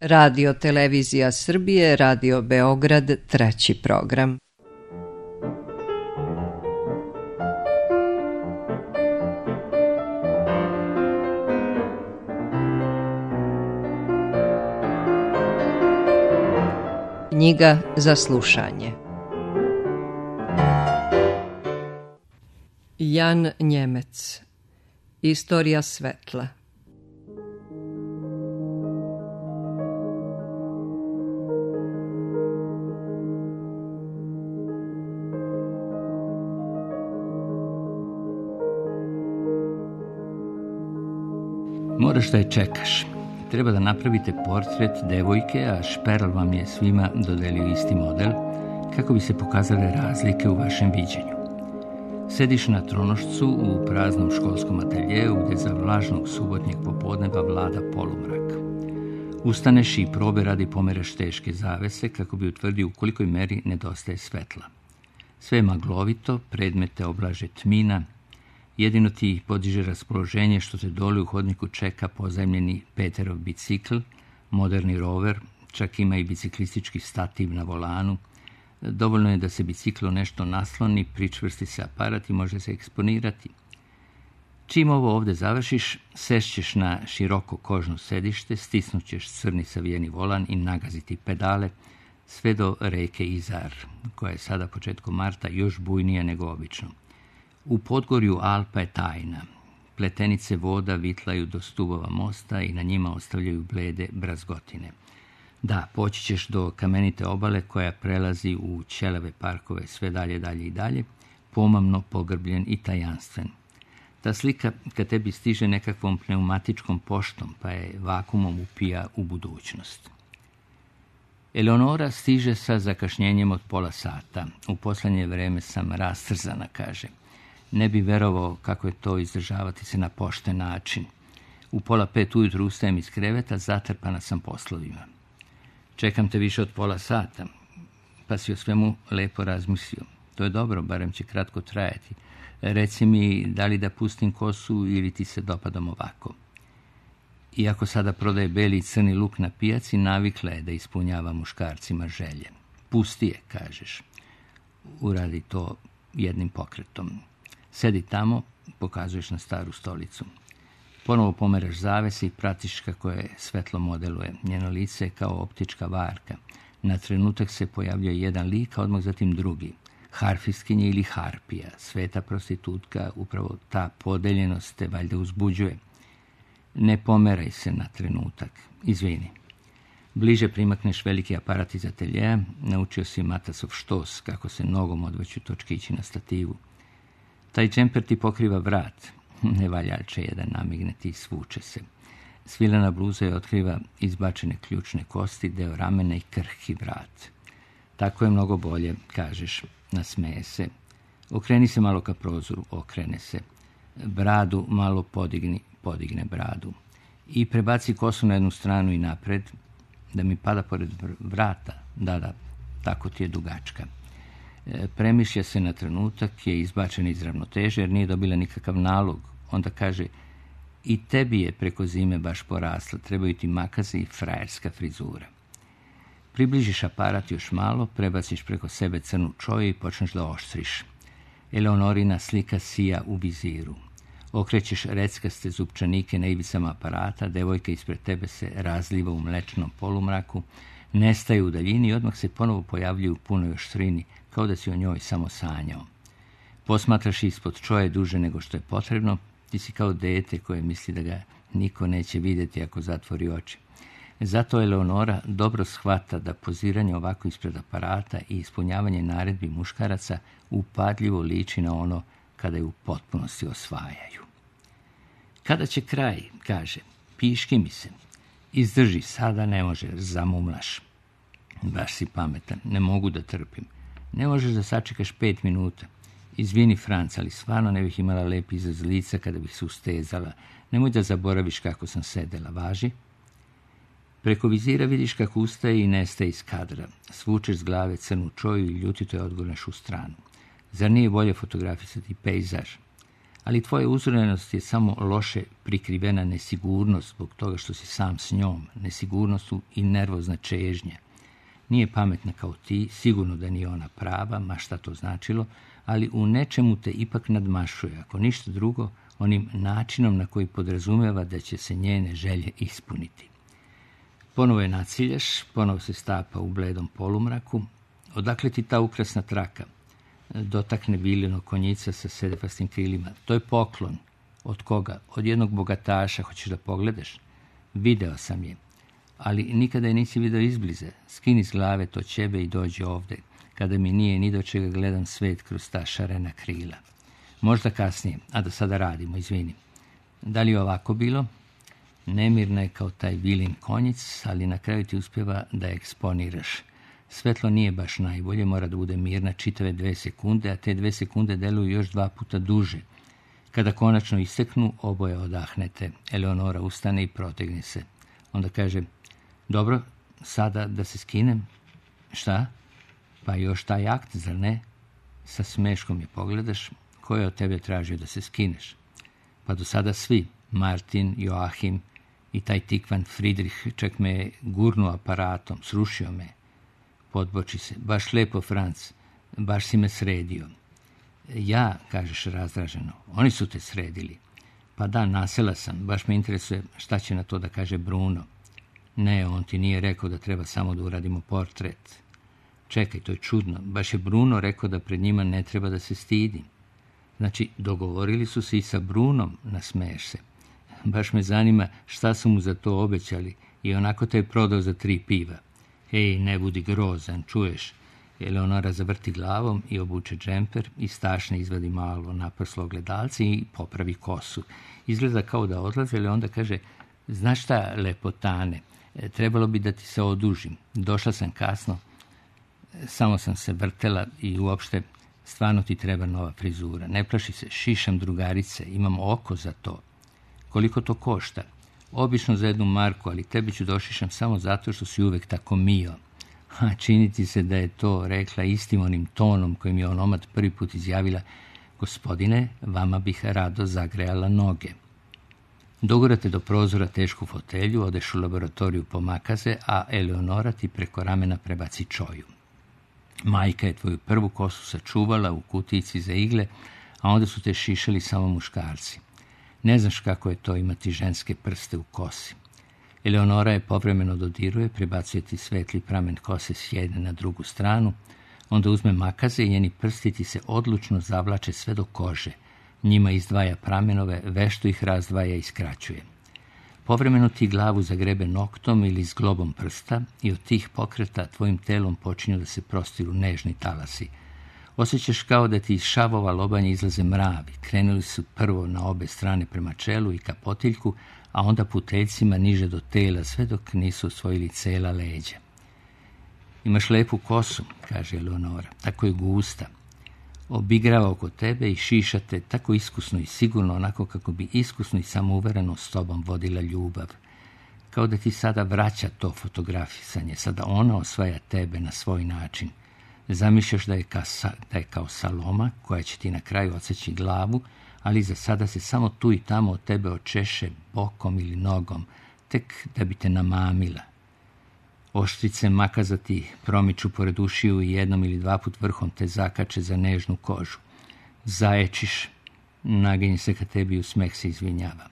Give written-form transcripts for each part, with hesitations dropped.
Radio Televizija Srbije, Radio Beograd, treći program. Knjiga za slušanje. Jan Njemec. Istorija svetla. Moraš da je čekaš. Treba da napravite portret devojke, a Šperl vam je svima dodelio isti model, kako bi se pokazale razlike u vašem viđenju. Sediš na tronošcu u praznom školskom ateljeu gdje za vlažnog subotnjeg popodneva vlada polumrak. Ustaneš i probe radi pomeraš teške zavese kako bi utvrdio u kolikoj meri nedostaje svetla. Sve je maglovito, predmete oblaže tmina, jedino ti podiže raspoloženje što te dole u hodniku čeka pozajmljeni Peterov bicikl, moderni rover, čak ima i biciklistički stativ na volanu. Dovoljno je da se biciklo nešto nasloni, pričvrsti se aparat i može se eksponirati. Čim ovo ovdje završiš, sešćeš na široko kožno sedište, stisnućeš crni savijeni volan i nagaziti pedale, sve do reke Izar, koja je sada početkom marta još bujnija nego obično. U podgorju Alpa je tajna. Pletenice voda vitlaju do stubova mosta i na njima ostavljaju blede brazgotine. Da, poći ćeš do kamenite obale koja prelazi u ćelave parkove sve dalje i dalje, pomamno pogrbljen i tajanstven. Ta slika kad tebi stiže nekakvom pneumatičkom poštom, pa je vakumom upija u budućnost. Eleonora stiže sa zakašnjenjem od pola sata. U posljednje vreme sam rastrzana, kaže. Ne bi verovao kako je to izdržavati se na pošten način. U 4:30 ujutru ustajem iz kreveta, zatrpana sam poslovima. Čekam te više od pola sata, pa si o svemu lepo razmislio. To je dobro, barem će kratko trajati. Reci mi, da li da pustim kosu ili ti se dopadam ovako. Iako sada prodaje beli i crni luk na pijaci, navikla je da ispunjava muškarcima želje. Pusti je, kažeš. Uradi to jednim pokretom. Sedi tamo, pokazuješ na staru stolicu. Ponovo pomeraš zavese i pratiš kako je svetlo modeluje. Njeno lice je kao optička varka. Na trenutak se pojavljuje jedan lik, a odmah zatim drugi. Harfistkinja ili harpija, sveta prostitutka, upravo ta podeljenost te valjda uzbuđuje. Ne pomeraj se na trenutak. Izvini. Bliže primakneš veliki aparat iz ateljeja, naučio si matasov štos, kako se nogom odvrću točkići na stativu. Taj džemper ti pokriva vrat. Ne valjače jedan namigneti i svuče se. Svilena bluza je otkriva izbačene ključne kosti, deo ramena i krhki vrat. Tako je mnogo bolje, kažeš, nasmeje se. Okreni se malo ka prozoru, okrene se. Bradu malo podigne bradu. I prebaci kosu na jednu stranu i napred, da mi pada pored vrata. Da, tako ti je dugačka. Premišlja se na trenutak, je izbačen iz ravnoteže jer nije dobila nikakav nalog. Onda kaže, i tebi je preko zime baš porasla, trebaju ti makaze i frajerska frizura. Približiš aparat još malo, prebaciš preko sebe crnu čoju i počneš da oštriš. Eleonorina slika sija u viziru. Okrećeš reckaste zupčanike na ivicama aparata, devojka ispred tebe se razliva u mlečnom polumraku, nestaje u daljini i odmah se ponovo pojavljuje u punoj oštrini, kao da si o njoj samo sanjao. Posmatraš ispod čoje duže nego što je potrebno, ti si kao dete koje misli da ga niko neće vidjeti ako zatvori oči. Zato Eleonora dobro shvata da poziranje ovako ispred aparata i ispunjavanje naredbi muškaraca upadljivo liči na ono kada je u potpunosti osvajaju. Kada će kraj, kaže, piški mi se. Izdrži, sada ne može, zamumlaš. Baš si pametan, ne mogu da trpim. Ne možeš da sačekaš 5 minuta. Izvini, Franc, ali stvarno ne bih imala lep izraz lica kada bih se ustezala. Nemoj da zaboraviš kako sam sedela, važi? Preko vizira vidiš kako ustaje i nestaje iz kadra. Svučeš s glave crnu čoju i ljutito je odgurnaš u stranu. Zar nije bolje fotografisati pejzaž? Ali tvoja uzorenost je samo loše prikrivena nesigurnost zbog toga što si sam s njom, nesigurnost i nervozna čežnja. Nije pametna kao ti, sigurno da nije ona prava, ma šta to značilo, ali u nečemu te ipak nadmašuje, ako ništa drugo, onim načinom na koji podrazumeva da će se njene želje ispuniti. Ponovo je nacilješ, ponovo se stapa u bledom polumraku. Odakle ti ta ukrasna traka? Dotakne Biljino konjica sa sedefastim krilima. To je poklon. Od koga? Od jednog bogataša. Hoćeš da pogledaš? Video sam je. Ali nikada je nisi video izbliza. Skini s glave to ćebe i dođi ovde. Kada mi nije ni do čega gledam svet kroz ta šarena krila. Možda kasnije, a da sada radimo, izvini. Da li je ovako bilo? Nemirna je kao taj Bilin konjic, ali na kraju ti uspjeva da je eksponiraš. Svetlo nije baš najbolje, mora da bude mirna čitave 2 sekunde, a te 2 sekunde deluju još 2 puta duže. Kada konačno isteknu, oboje odahnete. Eleonora ustane i protegne se. Onda kaže, dobro, sada da se skinem. Šta? Pa još taj akt, zar ne? Sa smeškom je pogledaš. Ko je od tebe tražio da se skineš? Pa do sada svi, Martin, Joachim i taj tikvan Friedrich, čak me je gurnuo aparatom, srušio me. Podboči se, baš lepo, Franc, baš si me sredio. Ja, kažeš razdraženo, oni su te sredili. Pa da, nasela sam, baš me interesuje šta će na to da kaže Bruno. Ne, on ti nije rekao da treba samo da uradimo portret. Čekaj, to je čudno, baš je Bruno rekao da pred njima ne treba da se stidi. Znači, dogovorili su se i sa Brunom, nasmeješ se. Baš me zanima šta su mu za to obećali i onako te je prodao za 3 piva. Ej, ne budi grozan, čuješ? Eleonora zavrti glavom i obuče džemper i stašne izvadi malo naprslo ogledalce i popravi kosu. Izgleda kao da odlaze, ali onda kaže, znaš šta, lepotane, trebalo bi da ti se odužim. Došla sam kasno, samo sam se vrtela i uopšte stvarno ti treba nova frizura. Ne plaši se, šišam drugarice, imam oko za to. Koliko to košta? Obično za 1 marku, ali tebi ću došišam samo zato što si uvek tako mio. Čini ti se da je to rekla istim onim tonom kojim je onomad prvi put izjavila, gospodine, vama bih rado zagrejala noge. Dogurate do prozora tešku fotelju, odeš u laboratoriju po makaze, a Eleonora ti preko ramena prebaci čoju. Majka je tvoju prvu kosu sačuvala u kutijici za igle, a onda su te šišali samo muškarci. Ne znaš kako je to imati ženske prste u kosi. Eleonora je povremeno dodiruje, prebacuje ti svetli pramen kose s jedne na drugu stranu, onda uzme makaze i njeni prsti ti se odlučno zavlače sve do kože. Njima izdvaja pramenove, vešto ih razdvaja i skraćuje. Povremeno ti glavu zagrebe noktom ili zglobom prsta i od tih pokreta tvojim telom počinju da se prostiru nežni talasi. Osjećaš kao da ti iz šavova lobanja izlaze mravi. Krenuli su prvo na obe strane prema čelu i ka potiljku, a onda puteljcima niže do tela, sve dok nisu osvojili cela leđa. Imaš lepu kosu, kaže Eleonora, tako je gusta. Obigrava oko tebe i šiša te tako iskusno i sigurno, onako kako bi iskusno i samouvereno s tobom vodila ljubav. Kao da ti sada vraća to fotografisanje, sada ona osvaja tebe na svoj način. Zamišljaš da je kao Saloma koja će ti na kraju odseći glavu, ali za sada se samo tu i tamo od tebe očeše bokom ili nogom, tek da bi te namamila. Oštrice makaza ti promiču pored ušiju i 1 ili 2 put vrhom te zakače za nežnu kožu. Zaječiš, naginje se ka tebi i u smeh se izvinjava.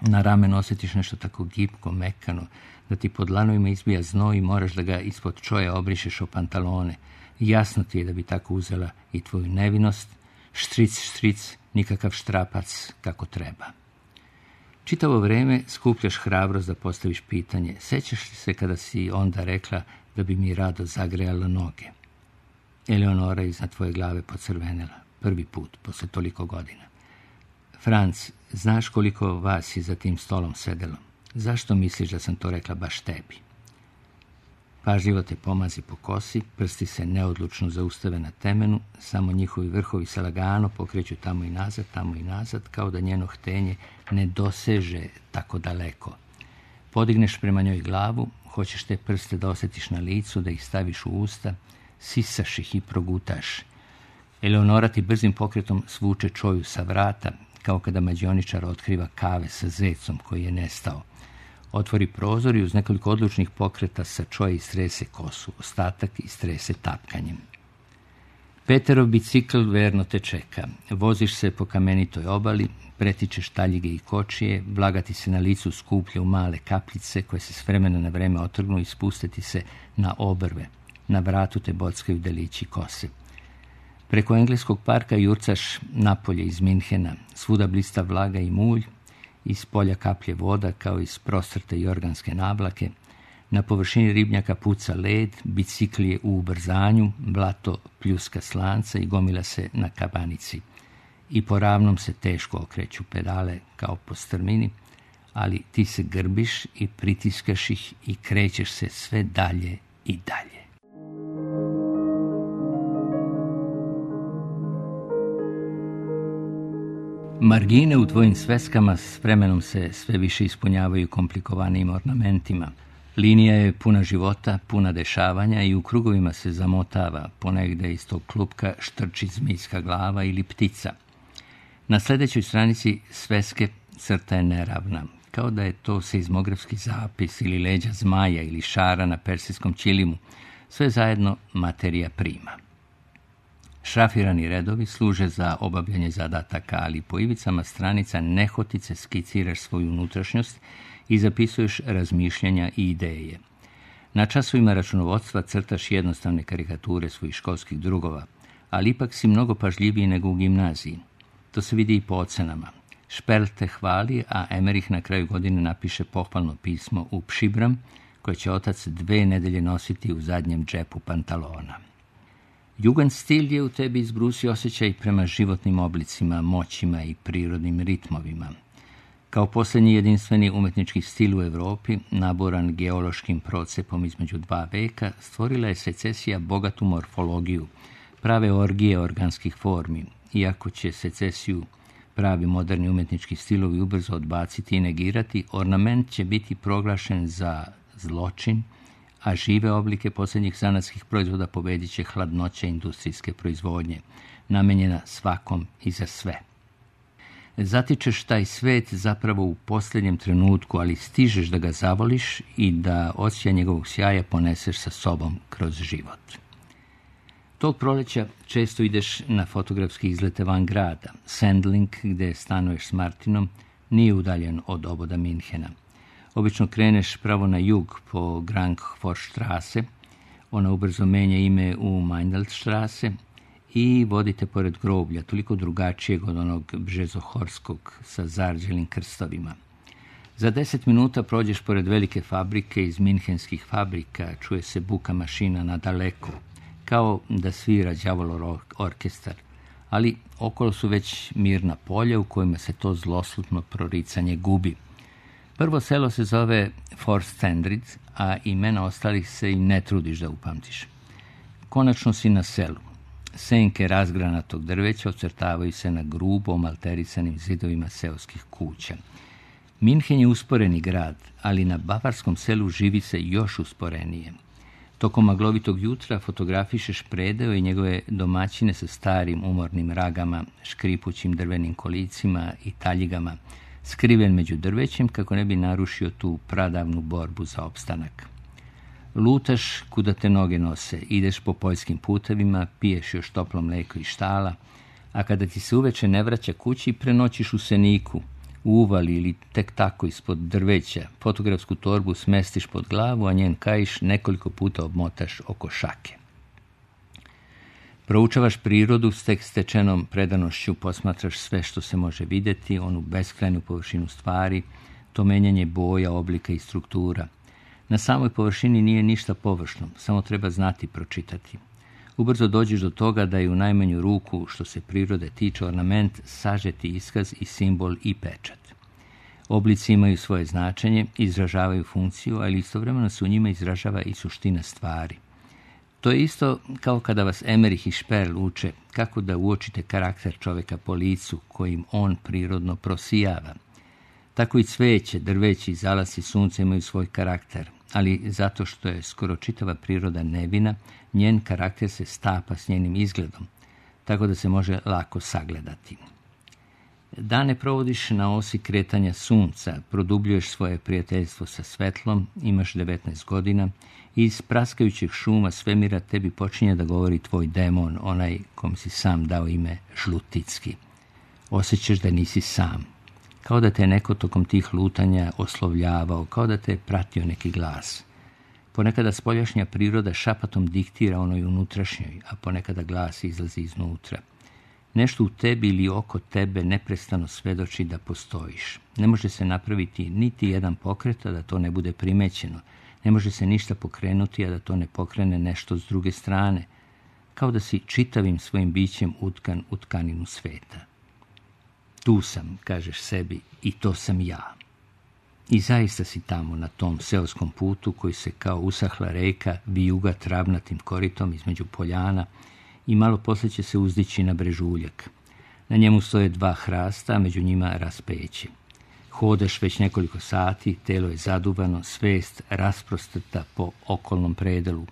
Na ramenu osjetiš nešto tako gipko, mekano, da ti pod lanovima izbija znoj i moraš da ga ispod čoja obrišeš o pantalone. Jasno ti je da bi tako uzela i tvoju nevinost, štric, štric, nikakav štrapac kako treba. Čitavo vreme skupljaš hrabrost da postaviš pitanje. Sećaš li se kada si onda rekla da bi mi rado zagrejala noge? Eleonora iznad tvoje glave pocrvenela. Prvi put, posle toliko godina. Franc, znaš koliko vas je za tim stolom sedelo? Zašto misliš da sam to rekla baš tebi? Pažljivo te pomazi po kosi, prsti se neodlučno zaustave na temenu, samo njihovi vrhovi se lagano pokreću tamo i nazad, kao da njeno htenje ne doseže tako daleko. Podigneš prema njoj glavu, hoćeš te prste da osjetiš na licu, da ih staviš u usta, sisaš ih i progutaš. Eleonora ti brzim pokretom svuče čoju sa vrata, kao kada mađioničar otkriva kave sa zecom koji je nestao. Otvori prozor i uz nekoliko odlučnih pokreta sa čoja istrese kosu, ostatak istrese tapkanjem. Peterov bicikl verno te čeka. Voziš se po kamenitoj obali, pretičeš taljige i kočije, vlaga ti se na licu skuplje u male kapljice koje se s vremena na vreme otrgnu i spuste ti se na obrve. Na vratu te bockaju delići kose. Preko engleskog parka jurcaš napolje iz Minhena, svuda blista vlaga i mulj, iz polja kaplje voda kao iz prostrte jorganske navlake, na površini ribnjaka puca led, bicikl je u ubrzanju, blato pljuska slanca i gomila se na kabanici. I po ravnom se teško okreću pedale kao po strmini, ali ti se grbiš i pritiskaš ih i krećeš se sve dalje i dalje. Margine u tvojim sveskama s vremenom se sve više ispunjavaju komplikovanijim ornamentima. Linija je puna života, puna dešavanja i u krugovima se zamotava, ponegde iz tog klupka štrči zmijska glava ili ptica. Na sljedećoj stranici sveske crta je neravna, kao da je to seizmografski zapis ili leđa zmaja ili šara na persijskom ćilimu, sve zajedno materija prima. Šrafirani redovi služe za obavljanje zadataka, ali po ivicama stranica nehotice skiciraš svoju unutrašnjost i zapisuješ razmišljanja i ideje. Na časovima računovodstva crtaš jednostavne karikature svojih školskih drugova, ali ipak si mnogo pažljiviji nego u gimnaziji. To se vidi i po ocenama. Šperl te hvali, a Emerich na kraju godine napiše pohvalno pismo u Pšibram, koje će otac 2 nedelje nositi u zadnjem džepu pantalona. Jugendstil je u tebi izbrusio osjećaj prema životnim oblicima, moćima i prirodnim ritmovima. Kao posljednji jedinstveni umetnički stil u Europi, naboran geološkim procepom između 2 veka, stvorila je secesija bogatu morfologiju, prave orgije organskih formi, iako će secesiju pravi moderni umetnički stilovi ubrzo odbaciti i negirati, ornament će biti proglašen za zločin, a žive oblike posljednjih zanatskih proizvoda pobedit će hladnoća industrijske proizvodnje, namenjena svakom i za sve. Zatičeš taj svet zapravo u posljednjem trenutku, ali stižeš da ga zavoliš i da osjećaj njegovog sjaja poneseš sa sobom kroz život. Tog proleća često ideš na fotografski izlete van grada. Sendling, gde stanuješ s Martinom, nije udaljen od oboda Minhena. Obično kreneš pravo na jug po Grangforstrasse, ona ubrzo menja ime u Meindelstrasse i vodite pored groblja, toliko drugačijeg od onog bžezohorskog sa zarđelim krstovima. Za 10 minuta prođeš pored velike fabrike iz minhenskih fabrika, čuje se buka mašina na daleko, kao da svira đavolov orkestar, ali okolo su već mirna polja u kojima se to zloslutno proricanje gubi. Prvo selo se zove Forstendrid, a imena ostalih se i ne trudiš da upamtiš. Konačno si na selu. Senke razgranatog drveća ocrtavaju se na grubo malterisanim zidovima seoskih kuća. Minhen je usporeni grad, ali na bavarskom selu živi se još usporenije. Tokom maglovitog jutra fotografišeš predeo i njegove domaćine sa starim umornim ragama, škripućim drvenim kolicima i taljigama, skriven među drvećem kako ne bi narušio tu pradavnu borbu za opstanak. Lutaš kuda te noge nose, ideš po poljskim putevima, piješ još toplo mleko iz štala, a kada ti se uveče ne vraća kući, prenoćiš u seniku, u uvali ili tek tako ispod drveća, fotografsku torbu smestiš pod glavu, a njen kaiš nekoliko puta obmotaš oko šake. Proučavaš prirodu s tek stečenom predanošću, posmatraš sve što se može vidjeti, onu beskrajnu površinu stvari, to menjanje boja, oblika i struktura. Na samoj površini nije ništa površno, samo treba znati pročitati. Ubrzo dođeš do toga da je u najmanju ruku, što se prirode tiče, ornament sažeti iskaz i simbol i pečat. Oblici imaju svoje značenje, izražavaju funkciju, ali istovremeno se u njima izražava i suština stvari. To je isto kao kada vas Emerich i Šperl uče kako da uočite karakter čovjeka po licu kojim on prirodno prosijava. Tako i cveće, drveći i zalasi sunca imaju svoj karakter, ali zato što je skoro čitava priroda nevina, njen karakter se stapa s njenim izgledom. tako da se može lako sagledati. Dane provodiš na osi kretanja sunca, produbljuješ svoje prijateljstvo sa svetlom, imaš 19 godina i iz praskajućeg šuma svemira tebi počinje da govori tvoj demon, onaj kom si sam dao ime Žluticki. Osjećaš da nisi sam, kao da te je neko tokom tih lutanja oslovljavao, kao da te je pratio neki glas. Ponekada spoljašnja priroda šapatom diktira onoj unutrašnjoj, a ponekada glas izlazi iznutra. Nešto u tebi ili oko tebe neprestano svedoči da postojiš. Ne može se napraviti niti jedan pokret, a da to ne bude primećeno. Ne može se ništa pokrenuti, a da to ne pokrene nešto s druge strane. Kao da si čitavim svojim bićem utkan u tkaninu sveta. Tu sam, kažeš sebi, i to sam ja. I zaista si tamo na tom seoskom putu koji se kao usahla reka vijuga travnatim koritom između poljana i malo poslije će se uzdići na brežuljak. Na njemu stoje 2 hrasta, a među njima raspeće. Hodaš već nekoliko sati, telo je zaduvano, svest rasprostrta po okolnom predelu.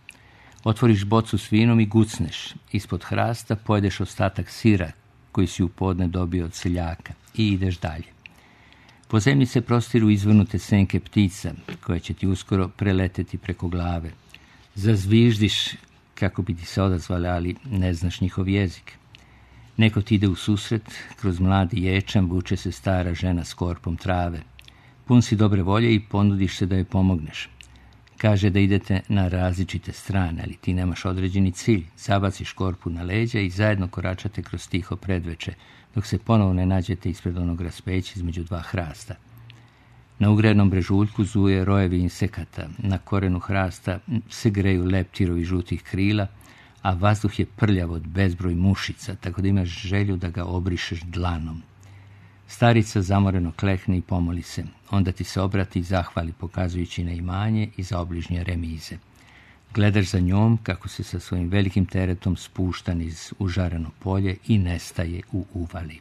Otvoriš bocu s vinom i gucneš. Ispod hrasta pojedeš ostatak sira koji si u podne dobio od seljaka i ideš dalje. Po zemlji se prostiru izvrnute senke ptica, koje će ti uskoro preleteti preko glave. Zazviždiš kako bi ti se odazvali, ali ne znaš njihov jezik. Neko ti ide u susret, kroz mladi ječam vuče se stara žena s korpom trave. Pun si dobre volje i ponudiš se da joj pomogneš. Kaže da idete na različite strane, ali ti nemaš određeni cilj. Zabaciš korpu na leđa i zajedno koračate kroz tiho predveče, dok se ponovo ne nađete ispred onog raspeća između 2 hrasta. Na ugrenom brežuljku zuje rojevi insekata, na korenu hrasta se greju leptirovi žutih krila, a vazduh je prljav od bezbroj mušica, tako da imaš želju da ga obrišeš dlanom. Starica zamoreno klekne i pomoli se, onda ti se obrati i zahvali pokazujući na imanje i za obližnje remize. Gledaš za njom kako se sa svojim velikim teretom spušta niz užareno polje i nestaje u uvali.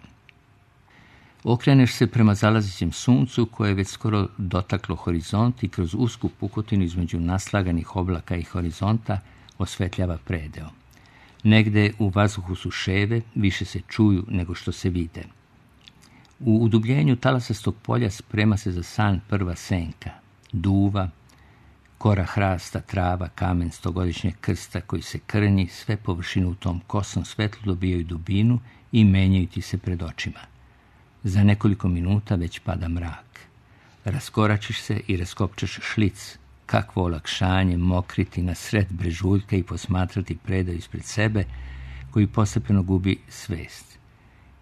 Okreneš se prema zalazećem suncu koje je već skoro dotaklo horizont i kroz usku pukotinu između naslaganih oblaka i horizonta osvetljava predeo. Negde u vazduhu su ševe, više se čuju nego što se vide. U udubljenju talasastog polja sprema se za san prva senka, duva, kora hrasta, trava, kamen stogodišnjeg krsta koji se krnji, sve površine u tom kosnom svetlu dobijaju dubinu i menjaju ti se pred očima. Za nekoliko minuta već pada mrak. Raskoračiš se i raskopčaš šlic. Kakvo olakšanje mokriti na sred brežuljka i posmatrati predaj ispred sebe koji postepeno gubi svest.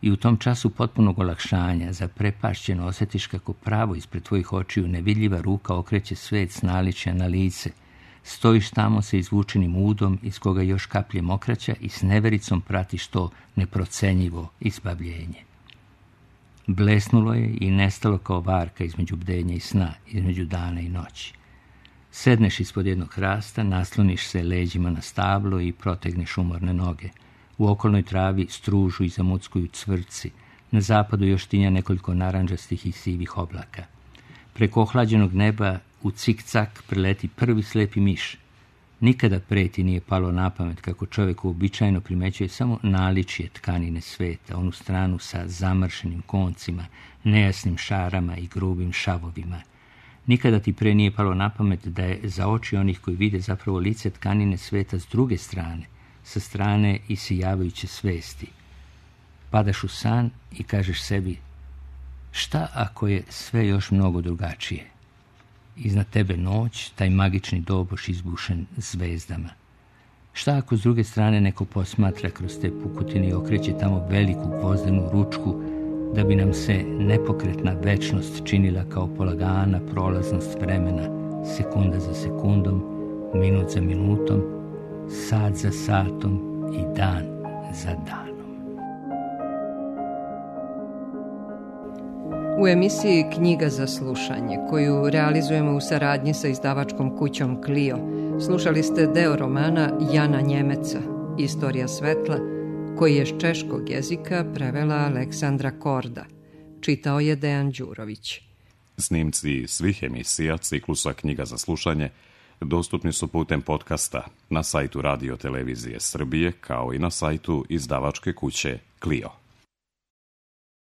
I u tom času potpunog olakšanja zaprepašćeno osjetiš kako pravo ispred tvojih očiju nevidljiva ruka okreće svet s naličja na lice. Stojiš tamo sa izvučenim udom iz koga još kaplje mokraća i s nevericom pratiš to neprocenjivo izbavljenje. Blesnulo je i nestalo kao varka između bdenja i sna, između dana i noći. Sedneš ispod jednog hrasta, nasloniš se leđima na stablo i protegneš umorne noge. U okolnoj travi stružu i zamuckuju cvrci. Na zapadu još tinja nekoliko narandžastih i sivih oblaka. Preko ohlađenog neba u cik-cak preleti prvi slepi miš. Nikada pre ti nije palo na pamet kako čovjek uobičajeno primećuje samo naličje tkanine sveta, onu stranu sa zamršenim koncima, nejasnim šarama i grubim šavovima. Nikada ti pre nije palo na pamet da je za oči onih koji vide zapravo lice tkanine sveta s druge strane, sa strane isijavajuće svesti. Padaš u san i kažeš sebi, šta ako je sve još mnogo drugačije? Iznad tebe noć, taj magični doboš izbušen zvezdama. Šta ako s druge strane neko posmatra kroz te pukotine i okreće tamo veliku gvozdenu ručku, da bi nam se nepokretna večnost činila kao polagana prolaznost vremena, sekunda za sekundom, minut za minutom, sat za satom i dan za danom. U emisiji Knjiga za slušanje, koju realizujemo u saradnji sa izdavačkom kućom Clio, slušali ste deo romana Jana Njemeca, Istorija svetla, koji je s češkog jezika prevela Aleksandra Korda. Čitao je Dejan Đurović. Snimci svih emisija ciklusa Knjiga za slušanje dostupni su putem podcasta na sajtu Radio Televizije Srbije, kao i na sajtu izdavačke kuće Clio.